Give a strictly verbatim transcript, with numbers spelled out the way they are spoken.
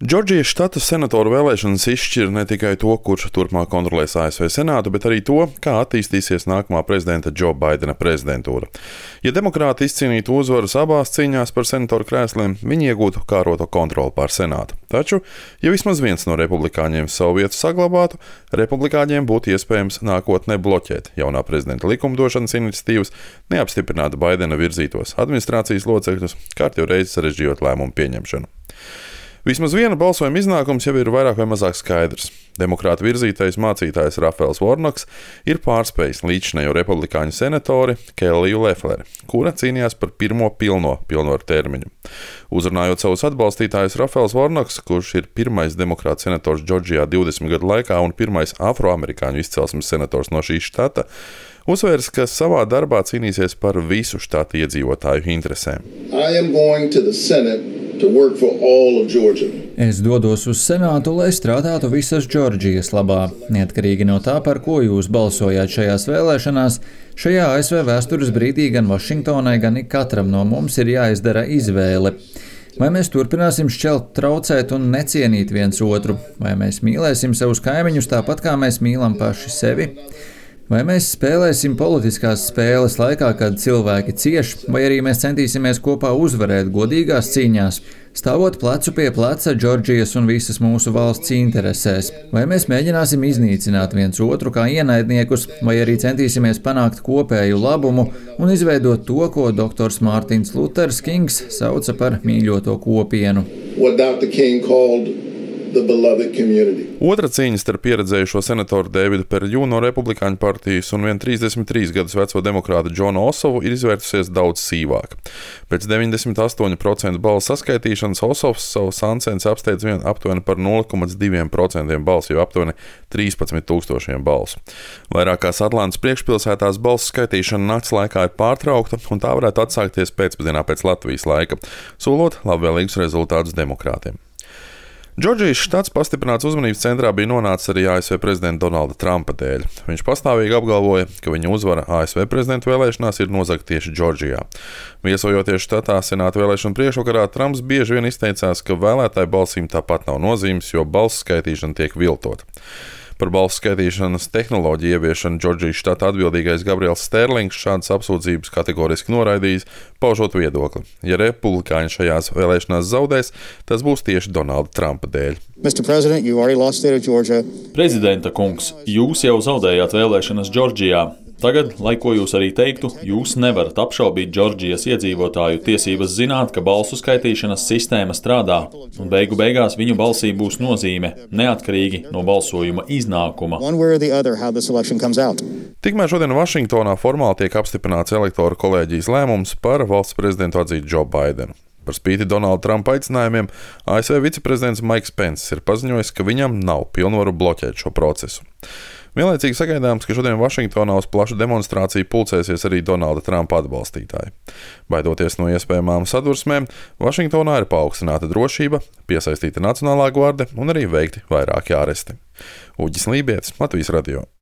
Džordžijas štata senatoru vēlēšanas izšķir ne tikai to, kurš turpmāk kontrolēs A S V Senātu, bet arī to, kā attīstīsies nākamā prezidenta Džo Baidena prezidentūra. Ja demokrāti izcīnītu uzvaras abās cīņās par senatoru krēsliem, viņi iegūtu kāroto kontroli pār Senātu. Taču, ja vismaz viens no republikāņiem savu vietu saglabātu, republikāņiem būtu iespējams nākotnē bloķēt jaunā prezidenta likumdošanas iniciatīvas, neapstiprināt Baidena virzītos administrācijas locekļus, kārtīgi reizi sarežģījot lēmumu pieņemšanu. Vismaz viena balsojuma iznākums jau ir vairāk vai mazāk skaidrs. Demokrāta virzītais mācītājs Rafaels Vornoks ir pārspējis līdzinējo republikāņu senatori Kelliju Leffleri, kura cīnījās par pirmo pilno pilnvaru termiņu. Uzrunājot savus atbalstītājus, Rafaels Vornoks, kurš ir pirmais demokrāta senators Džordžijā divdesmit gadu laikā un pirmais afroamerikāņu izcelsmes senators no šī štata, uzsvērs, ka savā darbā cīnīsies par visu štata iedzīvotāju interesēm. Es dodos uz Senātu, lai strādātu visas Džordžijas labā. Neatkarīgi no tā, par ko jūs balsojāt šajās vēlēšanās, šajā A S V vēstures brīdī gan Vašingtonai, gan ikatram no mums ir jāizdara izvēle. Vai mēs turpināsim šķelt, traucēt un necienīt viens otru? Vai mēs mīlēsim savus kaimiņus tāpat, kā mēs mīlam paši sevi? Vai mēs spēlēsim politiskās spēles laikā, kad cilvēki cieš, vai arī mēs centīsimies kopā uzvarēt godīgās cīņās, stāvot plecu pie pleca Džordžijas un visas mūsu valsts interesēs? Vai mēs mēģināsim iznīcināt viens otru kā ienaidniekus, vai arī centīsimies panākt kopēju labumu un izveidot to, ko doktors Mārtins Luters Kings sauca par mīļoto kopienu? Otra cīņa starp pieredzējušo senatoru Deividu Perļu no Republikāņu partijas un vien trīsdesmit trīs gadus veco demokrātu Džonu Osovu ir izvērtusies daudz sīvāk. Pēc deviņdesmit astoņi procenti balsu saskaitīšanas Osovs savu sancensi apsteidz vien aptuveni par nulle komats divi procenti balsu, jo aptuveni trīspadsmit tūkstošiem balsu. Vairākās Atlantas priekšpilsētās balsu skaitīšana nakts laikā ir pārtraukta, un tā varētu atsākties pēcpusdienā pēc Latvijas laika, solot labvēlīgus rezultātus demokrātiem. Džordžijas štats pastiprināts uzmanības centrā bija nonācis arī A S V prezidenta Donalda Trumpa dēļ. Viņš pastāvīgi apgalvoja, ka viņa uzvara A S V prezidenta vēlēšanās ir nozagta tieši Džordžijā. Viesojoties štatā senāta vēlēšanu priekšvakarā, Trumps bieži vien izteicās, ka vēlētāju balsīm tāpat nav nozīmes, jo balsu skaitīšana tiek viltota. Par balsu skaitīšanas tehnoloģiju ieviešanu Džordžijas štata atbildīgais Gabriels Sterlings šādas apsūdzības kategoriski noraidījis, paužot viedokli. Ja republikāņi šajās vēlēšanās zaudēs, tas būs tieši Donalda Trumpa dēļ. Prezidenta kungs, jūs jau zaudējāt vēlēšanas Džordžijā. Tagad, lai ko jūs arī teiktu, jūs nevarat apšaubīt Džordžijas iedzīvotāju tiesības zināt, ka balsu skaitīšanas sistēma strādā, un beigu beigās viņu balsī būs nozīme, neatkarīgi no balsojuma iznākuma. Tikmēr šodien Vašingtonā formāli tiek apstiprināts elektoru kolēģijas lēmums par valsts prezidentu atzīt Džo Baidenu. Par spīti Donalda Trumpa aicinājumiem, A S V viceprezidents Maiks Penss ir paziņojis, ka viņam nav pilnvaru bloķēt šo procesu. Vienlaicīgi sagaidāms, ka šodien Vašingtonā uz plašu demonstrāciju pulcēsies arī Donalda Trumpa atbalstītāji. Baidoties no iespējamām sadursmēm, Vašingtonā ir paaugstināta drošība, piesaistīta Nacionālā gvarde un arī veikti vairāki āresti. Uģis Lībietis, Latvijas radio.